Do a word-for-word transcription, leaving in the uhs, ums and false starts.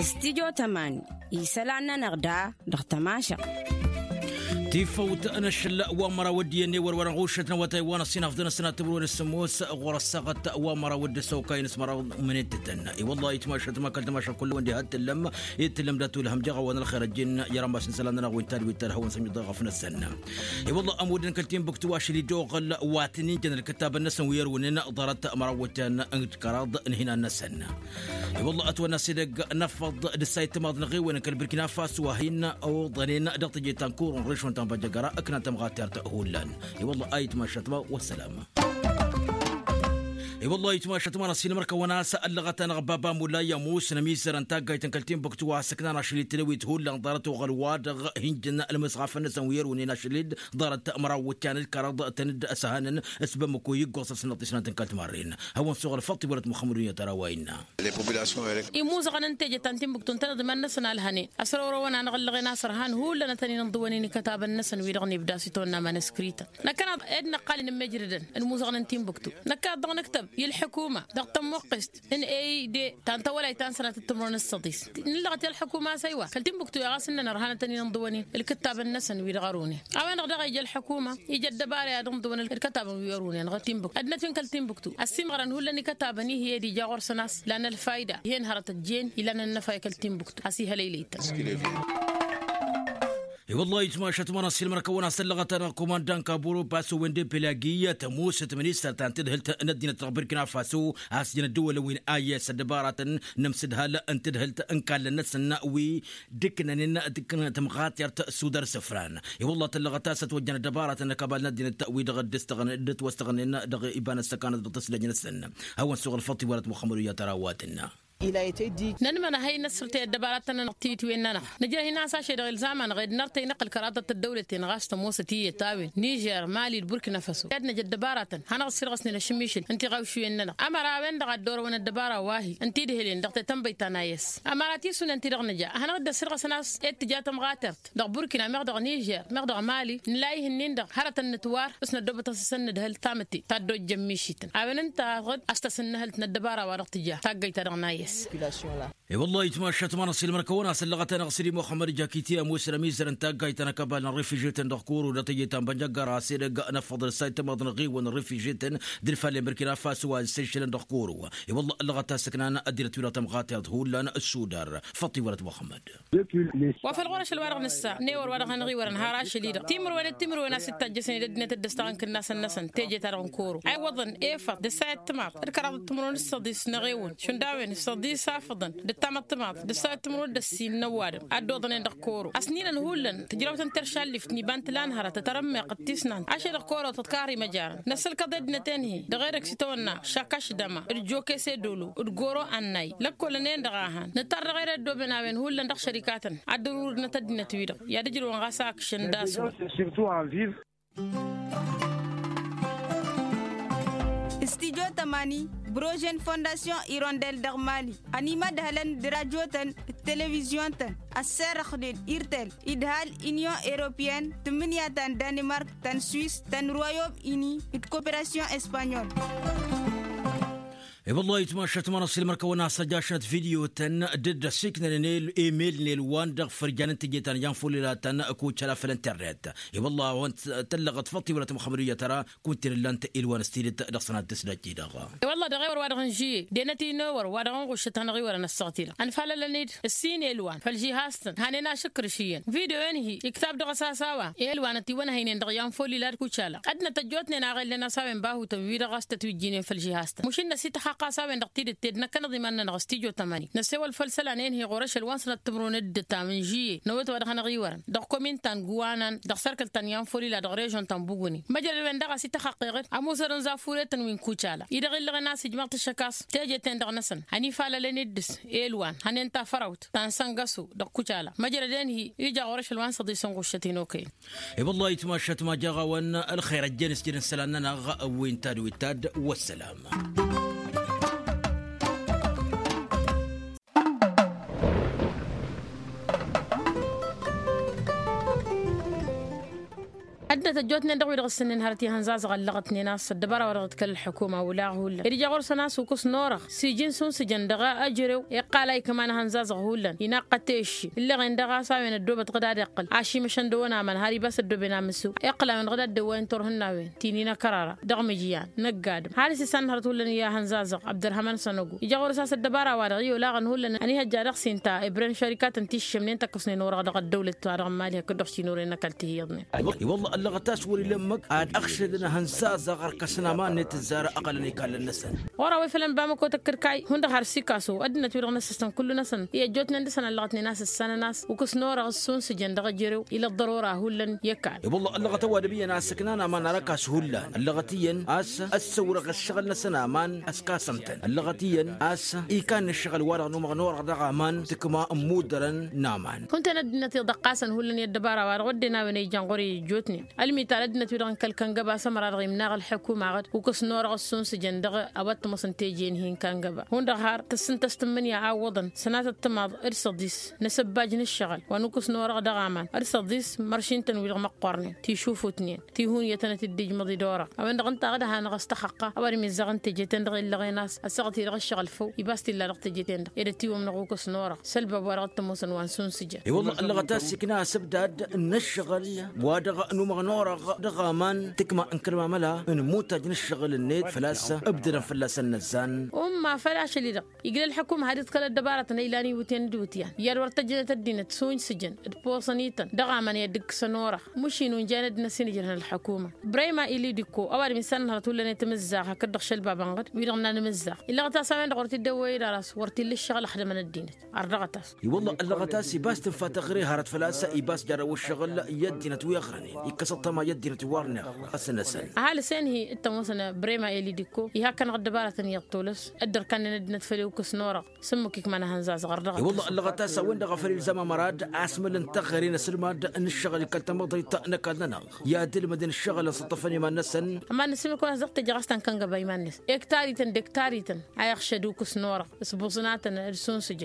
Stidyo tăman isălan-nănăɣ da dăɣ-tămašăɣ. Tifăwt n-ašăl wa măraw d-iyyăn i-wăr-wărăn ɣušăt n-awătay wa n-ăṣṣinafḍăn ăssinat timǝrwen s-sămoos ɣur-ăssaɣăt wa măraw d-săwkay n-s măraw. Mănetătăn i-wălla itmašăt ma kăl-tămašăɣ kull-wăn diha t-tǝllăm. I-t-tǝllăm dat-ulhăm jeɣ a-wa n-ălxer ăjjin i-rămas n-isălan-nănăɣ wi n-tadwit ta d-hawăn-săn iḍeɣăf-năsăn. I-wălla ămudăn kăl-tinbuktu ašăl-i d-oɣăl wa tăn-injăn ălkătabăn-năsăn wi ărwǝnen ḍarăt măraw wătyan n-kăraḍ n-hinan-năsăn. I-wălla ătwănna s-edăgg n-afăḍ d-ǝssayǝt timaḍ n-eɣewăn kăl-birkina faso a hin-oḍănen dăɣ-teje ta n-kuru n-režon ta n-băjjăgăra ǝknan tămɣatert hullan. I-wălla a itmašăt ma wăssălam. I-wălla a itmašăt ma n-ăssin mărkăwăn a-s ăllăɣăt-anăɣ baba mulay ămoos n-ămizăr n-taggayt n-kăl-tinbuktu a-s ǝknan ašăl-i tǝlăwit hullan ḍarăt oɣăl wa dăɣ-hin-jăn ălmǝsɣafăn-năsăn wi ărwǝnen ašăl-dd ḍarăt măraw wǝtyan d-kăraḍ tăn-dd-ăsăhănăn. S-bămmăko iggoẓ-asnăt isnant n-kăl-timarren hawăn-suɣ ălfăḍt iwărăt muxămmăd unyăt ara wa innă. Imuzăɣăn n-teje ta n-tinbuktu ǝntăneḍ iman-năsăn a ǝlhănen ăsrăwrăwăn-anăɣ ǝllăɣen a-s ărhan hullan ad-tăn-in-ǝnḍǝwăn-in ikătabăn-năsăn wi-dăɣ n-ibda s-itawănna manăskrităn. Năkkăneḍ ed năqqal-in n-imijrădăn n-imuzăɣăn n-tinbuktu năkkaḍ dăɣ-nǝktăb i-ălḥukuma dăɣ-tămmuqqest n-eide ta n-tawălayt ta n-sănatăt timǝrwen s-săḍis. Nǝllăɣăt i-ălḥukuma a-s ăywa kăl-tinbuktu i-ɣas ǝnnăn ărhanăt ad-tăn-in-ǝnḍǝwăn-in ǝlkǝttabăn-năsăn wi-dăɣ ărwǝnen. A-wen-dăɣ daɣ ija ălḥukuma ija ăddăbara i-ad-ǝnḍǝwăn ǝlkătabăn wi ărwǝnen ɣur-tinbuktu ăddinăt wi n-kăl-tinbuktu ăssiimɣărăn hullan ikătabăn-i hi-ed ija ɣur-săn a-s lan ălfayda. Hen hărăt ăjjeen ilan ănnăfa i-kăl-tinbuktu a-s ihălăylăy-tăn. I-wăllah itmašăt ma n-ăssiilmăr-kăwăn a-s ăllăɣăt-anăɣ kumandan kaburu paso wende pelagi tămoosăt ministăr ta n-tadhǝlt n-ăddinăt dăɣ-birkina faso a-s jăn ăddăwălăn wi n-ayes ăddăbaratăn n-amsǝdhal n-tadhǝlt n-kallăn-năsăn wi d-ǝknănen d-ǝknănen tămɣatert s-udar isǝfran. I-wăllah tăllăɣăt a-s ătwăjjăn ăddăbaratăn n-akabal n-ăddinăt wi dăɣ-dd-ăstăɣnen d-ătwăstăɣnen dăɣ-iba n-ăssăkanăt dăɣ-tăslăj-năsăn. Hawăn-suɣ ălfăḍt iwălăt muxămmăd uyyăt ara wa tǝnna. Nănmănăhăy năssărtăy ăddăbaratăn-nănăɣ titwen-nănăɣ nǝjrăh-in a-s ašăl-i-dăɣ ilzam-anăɣ ed nărtăy n-iqqǝl kăraḍăt ăddăwlăten ɣas tămoosăt iyyăt a-wen nižer mali d-burkina faso i-ad-năj ăddăbaratăn hanăɣ-dd-sirɣăsnen ašǝmmišǝl n-tiɣawšiwen-nănăɣ. Ămăra a-wen-dăɣ a dd-orăwăn ăddăbara wa hi-ǝnta idhǝlen dăɣ-tetănbăyt ta n-ayǝs. Ămăra tisǝwnen ti-dăɣ nǝja ad-hanăɣ-dd ăssirɣăsăn a-s ed tǝja tămɣatert dăɣ-burkina meɣ dăɣ-nižer meɣ dăɣ-mali nǝla ih'-ǝnnin-dăɣ hărătăn nǝtwar s-năddoobăt a-s isăn nǝdhǝl tamǝtte ta dd-ojjăn mišităn. A-wen ǝnta a dd-ăstăsǝnnăhǝlt n-ăddăbara wa dăɣ-tǝja taggăyt-ta-dăɣ n-ayǝs. I-wăllah itmašăt ma n-ăssiilmăr-kăwăn a-s ăllăɣăt-anăɣ sidi muxămmăd jaki ti ămoos n-ămizăr n-taggayt ta n-akabal n-ărrifǝžetăn dăɣ-kuru dăɣ-teje ta n-bănjăggăra s-edăgg n-afăḍăl s-a itămaḍ n-aɣiwăn ărrifǝžetăn d-ǝlfallen burkina faso a ǝssăyšălăn dăɣ-kuru. I-wăllah ăllăɣăt a-s ǝknan ăddinăt wi-dăɣ tămɣatert hullan s-udar. Făṭṭ iwălăt muxămmăd. Wa făl ɣur-ašăl wa dăɣ-nǝssa n-ewăr wa dăɣ-hanăɣ-iwărăn har ašăl-i-dăɣ timǝrwen d-timǝrwen a-s ittajjăsnen i-dăddinăt dd-ăstaɣăn kǝnnasăn-năsăn teje-ta-dăɣ n-koro a iwwăḍăn efăḍ d-ǝssayăt timaḍ d-kăraḍăt timǝrwen d-săḍis n-eɣewăn šund a-wen săḍis afăḍăn d-ǝttamăḍ timaḍ d-ǝssayăt timǝrwen d-ăssin n-ăwadǝm a dd-oḍănen dăɣ-koro. Ăsninăn hullan tǝjrawt n-teršallift n-iba n-tǝla n-hărăt tăt-ărǝmmeɣ ǝttisnan ašăl-i-dăɣ koro tăt-karri măjarăn năssălkăḍ i-ăddinăt-en-hi dăɣ-e-dăgg s-itawănna šakaš dăma d-jokese dolo d-goro ănnay lăkkolăn-en-dăɣ a han nǝttar dăɣ-e d-ăddooben a-wen hullan dăɣ-šărikatăn ad-dd-ărurǝdnăt ăddinăt-wi-dăɣ i-ad-ǝjrǝwăn ɣas a ǝkšăn d-aswăr. Studyo tămani brožen fondasyon irondel dăɣ-mali ănimădhălăn d-rajotăn d-televizyon-tăn ăsserăxnen irtel idhal inyon europeyăn tǝmmǝnǝya ta n-danimark ta n-swis ta n-royom ini d-koperasyon espanyol. I-wăllah itmašăt ma n-ăssiilmăr-kăwăn a-s ăjašnăt video-tăn dd-ăsiknănen emel n-elwan dăɣ-fărjan n-teje ta n-ijan folila-tăn kucăla făll-internet. I-wăllah a-wen tăllăɣăt făṭṭ iwălăt muxămmăd uyyăt ara kunta-en ǝllan-t elwan s-tidǝt dăɣ-sănat tǝslăt-i-dăɣ. I-wăllah dăɣ-ewăr wa dăɣ-n žǝyye d-enăt-i n-ewăr wa dăɣ-n ɣuššăt hanăɣ-iwărăn ăssaɣt-i-dăɣ ănfalălăn-dd ǝssin elwan făll-žihaz-tăn hanen ašǝkrǝš iyyăn video-en-hi iktab dăɣ-s a-s a-wa elwan ătiwănhăynen dăɣ-ijan folila d-kucala ăddinăt ăjjootnen a ɣellăn a-s a-wen bahutăn wi-dăɣ a-s tătwǝjjǝynen făll-žihaz-tăn mušǝn-năsităxxăqq a-s a-wen-dăɣ tidǝt ed năkkăneḍ iman-nănăɣ s-tijo tămani năssewăl făll-isălan-en-hi ɣur-ašăl wa n-sănat timǝrwen d-ǝttam n-žǝyye n-awăt wa dăɣ-hanăɣ-iwărăn dăɣ-komin ta n-guwanan dăɣ-sărkăl ta n-ijan folila dăɣ-režon ta n-buguni măjrăd-wen-dăɣ a-s ităxăqqeɣăt ămuusărăn za fureten wi n-kucala-i-dăɣ illăɣen a-s ijmăɣ-t ăššăk a-s teje-ten-dăɣ-năsăn ănifalălăn-dd s-elwan hănen tafărawt ta n-săngăso dăɣ-kucala măjrăd-en-hi ija ɣur-ašăl wa n-săḍis n-ɣuššăt-in okăyăn. I-wăllah itmašăt ma jaɣ-awăn ălxer ăjjeen s-jădăn isălan-nănăɣ wi n-tad wi d-tad. Wăssălam. Ăddinăt ăjjootnen dăɣ-wi-dăɣ ǝssǝnnen hărăt i-ihănzazăɣ ăllăɣătnen a-s ăddăbara-wa-dăɣ dd-kăl-ălḥukuma olaɣ hullan ed ija ɣur-săn a-s ukǝs n-orăɣ s-iji n-sunsǝjăn dăɣ-ejărew iqqal a ikman ihănzazăɣ hullan inaqqăt i-ăšši ǝlleɣen daɣ a-s a-wen ăddoobăt ɣǝd ad-iqqǝl ašimăšăn dăɣ-wăn aman har ibas ăddooben amǝsǝw iqqǝl a-wen ɣǝd ad-dd-ăwwayăn turhǝnnawen ti n-inăkărara dăɣ-mǝjyan năgg-adǝm har s-isann hărăt hullan i-ihănzazăɣ abdărhăman sănăgo ija ɣur-s a-s ăddăbara-wa-dăɣ i-olaɣăn hullan ănihăjja dăɣ-s inta i-bren šărikatăn ti š-ǝššămnen tăkkăsnen orăɣ dăɣ-ăddăwlăt-wa-dăɣ n-imali hakd-dăɣ šinore n-ăkall tihǝyyăḍnen. I-wălla ăllăɣăt a-s wăr-ila ǝmmǝk ad-ăɣšădăn ihănzazăɣ ărkăsăn aman-net ǝzzară ăɣălăn ikallăn-năsăn. Ɣur-a-wa ifălăn bamăko tăkkăd kayy hundăɣ har s-ikaso ăddinăt-wi-dăɣ n-ăssăstăn kullu-năsăn i-ăjjootnen dăɣ-săn ăllăɣătnen a-s ǝssanăn a-s ukǝs n-orăɣ ăssunsǝjăn dăɣ-ejărew ila ăḍḍărora hullan i-ăkall. I-wălla ăllăɣăt ăwadǝm iyyăn a-s ǝknan aman ar ăkass hullan ăllăɣăt iyyăn a-s ăssăwrăɣ ǝššăɣǝl-năsăn aman ăskasăm-tăn ăllăɣăt iyyăn a-s ikan n-ǝššăɣǝl-wa-dăɣ n-umăɣ n-orăɣ dăɣ-aman tǝkma n-imuddărăn n-aman. Hunten ăddinăt iḍăqqasăn hullan i-ăddăbara-wa-dăɣ wădden a-wen a ijan ɣur-i ăjjootnen ălmital ăddinăt-wi-dăɣ n-kăl-kăngăba s-ămăra-dăɣ imnaɣ ălḥukuma ɣǝd ukǝs n-orăɣ ăssunsǝjăn dăɣ-a-wa t-ămoosăn teje-in hin-kăngăba hundăɣ har tǝssǝn tăstǝmmǝnǝya a ǝwwăḍăn sănatăt timaḍ d-săḍis n-asǝbbaj n-ǝššăɣǝl wa n-ukǝs n-orăɣ dăɣ-aman d-săḍis măršin-tăn wi-dăɣ măqqoornen tišufutnen tihunyătăn ad-t-dd-ijmăḍ i-dd-orăɣ a-wen-dăɣ ǝnta a dd-hanăɣ-ăstăxăqqa a-wa dd-mizzăɣ n-teje-ten-dăɣ illăɣen a-s ăssaɣăt-i-dăɣ ǝššăɣǝl făw ibas t-illa dăɣ-teje-ten-dăɣ ed ătiwămnăɣ ukǝs n-orăɣ s-ălbab wa dăɣ-t-ămoosăn wa n-sunsǝjăn. I-wălla ăllăɣăt a-s ikna asǝbdad n-ǝššăɣǝl wa dăɣ-număɣ n-orăɣ dăɣ-aman tǝkma n-kăl-mamăla n-imutaj n-ǝššăɣǝl-net făl-a-s ǝbdădăn fălla-săn inăzzan. Umma făl ašăl-i-dăɣ iglă ălḥăkum had-iḍkăl ăddăbarătăn a ilan iwǝtyan d-iwǝtyan iyyăd wăr tăjjănăt ăddinăt sunsǝjăn d-posăn-ităn dăɣ-aman i-ad-dd-ǝkkǝsăn orăɣ măšin unjayăn ăddinăt s-inǝjrăhăn ălḥăkuma. Ibrahim a ili dikko ăwadǝm isănnăhărăt hullan i-tamǝzzaɣt hakd-dăɣ šălbabăn ɣǝd wi-dăɣ n-anǝmǝzzaɣ illăɣăt a-s a-wen-dăɣ wăr t-dd-ăwwăy-dd ara-s wăr t-illa ǝššăɣǝl ăxdămăn ăddinăt. Ărdăɣăt-as. I-wălla ăllăɣăt a-s ibas tǝnfa taɣre hărăt făl-a-s ibas jarrăw ǝššăɣǝl i-ăddinăt wi ăɣrănen ikkăs ăṭṭăma i-ăddinăt wi wărnen ăsnăsăn. Ăhalǝs enhi d-tămoosăn brema eli dikko iha ăkkănăɣ ăddăbarătăn iyyăḍ tolăs dd-ărkannen ăddinăt făll-i ukǝs n-orăɣ s-ǝmmǝk ikman ahănzazăɣ ărdăɣăt. I-wălla ăllăɣăt a-s a-wen-dăɣ a făl ilzam amăra d-asmăl n-taɣre n-asǝlmad n-ǝššăɣǝl i-kăl-tamăḍrit n-ăkall-nănăɣ i-ad-ǝlmǝdăn ǝššăɣǝl n-săṭṭăfăn iman-năsăn. Ămann-ăsimǝk wa n-asdăɣ teje ɣas ta n-kăngăba iman-năs ektarităn d-ektarităn a iɣšăd ukǝs n-orăɣ s-buẓnatăn d-sunsǝjăn.